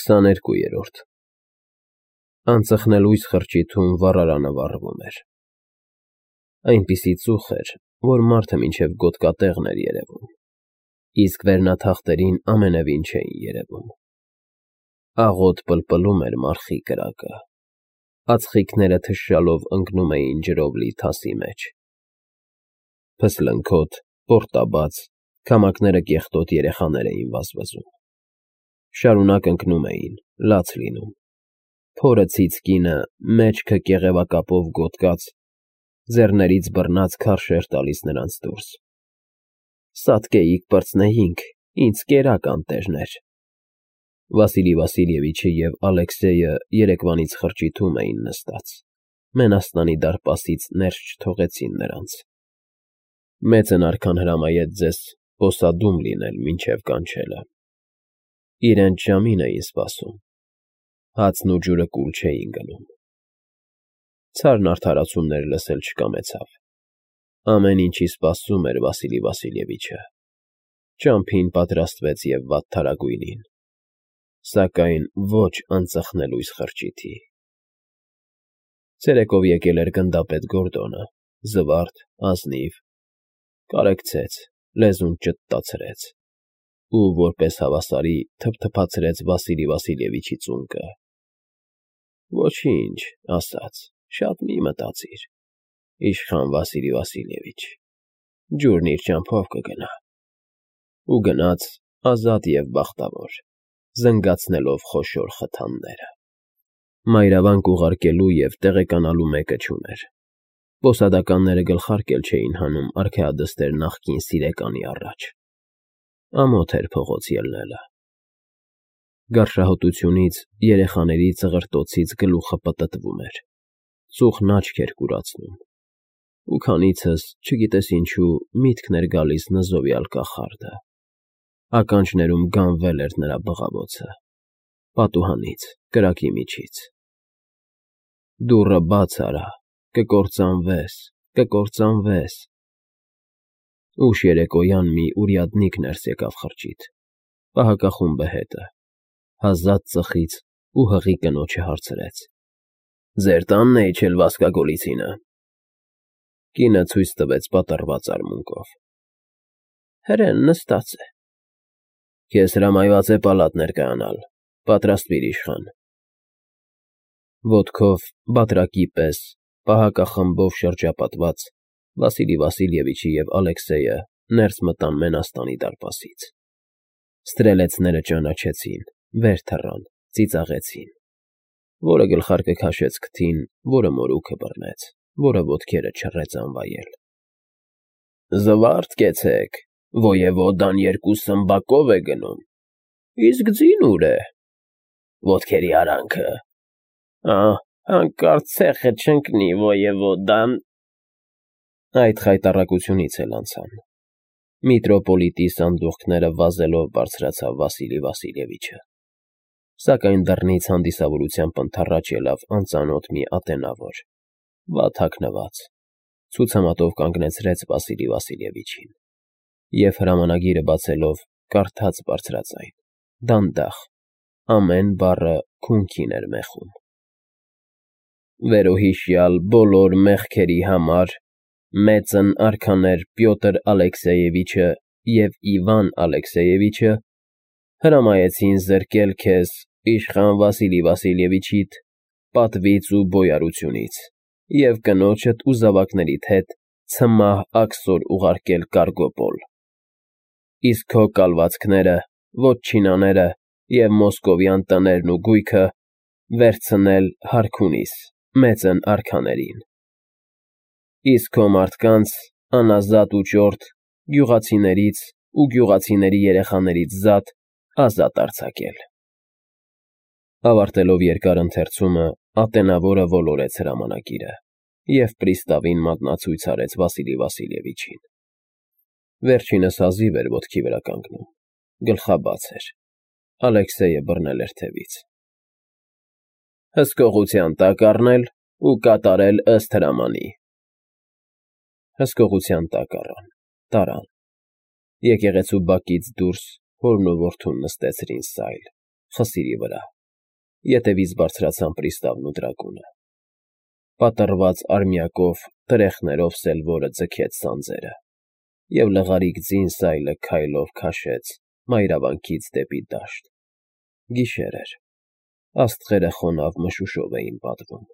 22 Անծխնելույս խրճիթում վառարանը վառվում էր։ Այնպիսի ծուխ էր, որ մարդը մինչև գոտկատեղն էր երևում, իսկ վերնաթախտերին ամենևին չէին երևում։ Աղոտ պլպլում էր մարխի կրակը, ածխիկները թշշալով ընկնում էին ջրով լի թասի մեջ։ Փսլնքոթ, պորտաբաց, քամակները կեղտոտ երեխաներ էին վազվզում։ Շարունակ ընկնում էին, լաց լինում։ Փորը ցից կինը, մեջքը կեղևակապով գոտկած, ձեռներից բռնած քարշ էր տալիս նրանց դուրս։ Սատկեիք պրծնեինք, ինձ կերակ անտերներ։ Վասիլի Վասիլևիչը և Ալեքսեյը երեկվանից խրճիթում էին նստած, մենաստանի դարպասից ներս չթողեցին նրանց։ Մեծն արքան հրամայեց ձեզ պոսադում լինել մինչև կանչելը։ Իրենց ժամին էին սպասում, հացն ու ջուրը կուլ չէին գնում։ Ցարն արդարացումներ լսել չկամեցավ։ Ամեն ինչի սպասում էր Վասիլի Վասիլևիչը։ Ճամփին պատրաստվեց և վատթարագույնին, սակայն ոչ անծխնելույս խրճիթի։ Ցերեկով եկել էր գնդապետ Գորդոնը, զվարթ, ազնիվ, կարեկցեց, լեզուն ճտտացրեց ու, որպես հավասարի, թփթփացրեց Վասիլի Վասիլևիչի ծունկը։ Ոչինչ, ասաց, շատ մի մտածիր, իշխան Վասիլի Վասիլևիչ, ջուրն իր ճամփով կգնա։ Ու գնաց ազատ և բախտավոր, զնգացնելով խոշոր խթանները։ Մայրավանք ուղարկելու և տեղեկանալու մեկը չուներ։ Պոսադականները գլխարկել չէին հանում արքայադստեր նախկին սիրեկանի առաջ։ Ամոթ էր փողոց ելնելը։ Գարշահոտությունից, երեխաների ծղրտոցից գլուխը պտտվում էր, ծուխն աչք էր կուրացնում, ու քանիցս, չգիտես ինչու, միտքն էր գալիս նզովյալ կախարդը։ Ականջներում գանվել էր նրա բղավոցը, պատուհանից, կրակի միջից։ Դուռը բաց արա, կկործանվես, կկործանվես։ Ուշ երեկոյան մի ուրյադնիկ ներս եկավ խրճիթ, պահակախումբը հետը, հազատ ծխից ու հղի կնոջը հարցրեց. Ձեր տանն է իջել Վասկա Գոլիցինը։ Կինը ցույց տվեց պատռված արմունկով։ Հրեն նստած է։ Քեզ հրամայված է պալատ ներկայանալ, պատրաստվիր իշխան։ Ոտքով, բատրակի պես, պահակախմբով շրջապատված, Վասիլի Վասիլևիչը և Ալեքսեյը ներս մտան մենաստանի դարպասից։ Ստրելեցները ճանաչեցին, վեր թռան, ծիծաղեցին։ Որը գլխարկը քաշեց քթին, որը մորուքը բռնեց, որը ոտքերը չռեց անվայել։ Զվարթ կեցեք, ոևոդան 2 սմբակով է գնում։ Իսկ ձին ուր է։ Ոտքերի արանքը։ Հանկարծ ցեխը չընկնի, ոևոդան։ Այդ խայտառակությունից էլ անցան։ Միտրոպոլիտի սանդուղքները վազելով բարձրացավ Վասիլի Վասիլևիչը։ Սակայն դռնից հանդիսավորությամբ ընդառաջ ելավ անծանոթ մի ատենավոր, վատ հագնված, ցուցամատով կանգնեցրեց Վասիլի Վասիլևիչին և հրամանագիրը բացելով կարդաց բարձրաձայն, դանդաղ, ամեն բառը քունքին էր մեխում։ Վերոհիշյալ բոլոր մեղքերի համար մեծն արքաներ Պյոտր Ալեքսեևիչը և Իվան Ալեքսեևիչը հրամայեցին զրկել քեզ, իշխան Վասիլի Վասիլևիչիդ, պատվից ու բոյարությունից և կնոջդ ու զավակներիդ հետ ցմահ աքսոր ուղարկել Կարգոպոլ։ Իսկ քո կալվածքները, վոտչինաները և մոսկովյան տներն ու գույքը վերցնել Հարքունիս, մեծն արքաներին։ Իսկ քո մարդկանց, անազատ ու ճորտ, գյուղացիներից ու գյուղացիների երեխաներից զատ, ազատ արձակել։ Ավարտելով երկար ընթերցումը, ատենավորը ոլորեց հրամանագիրը և պրիստավին մատնացույց արեց Վասիլի Վասիլևիչին։ Վերջինս հազիվ էր ոտքի վրա կանգնում, գլխաբաց էր, Ալեքսեյը բռնել էր թևից։ Հսկողության տակ առնել ու կատարել ըստ հրամանի։ Հսկողության տակ առան, տարան։ Եկեղեցու բակից դուրս հորն ու որդուն նստեցրին սայլ, խսիրի վրա, ետևից բարձրացան պրիստավն ու տրագունը։ Պատռված արմյակով, տրեխներով սելվորը ձգեց սանձերը, և լղարիկ ձին սայլը քայլով քաշեց մայրավանքից դեպի դաշտ։ Գիշեր էր, աստղերը խոնավ մշուշով էին պատվում։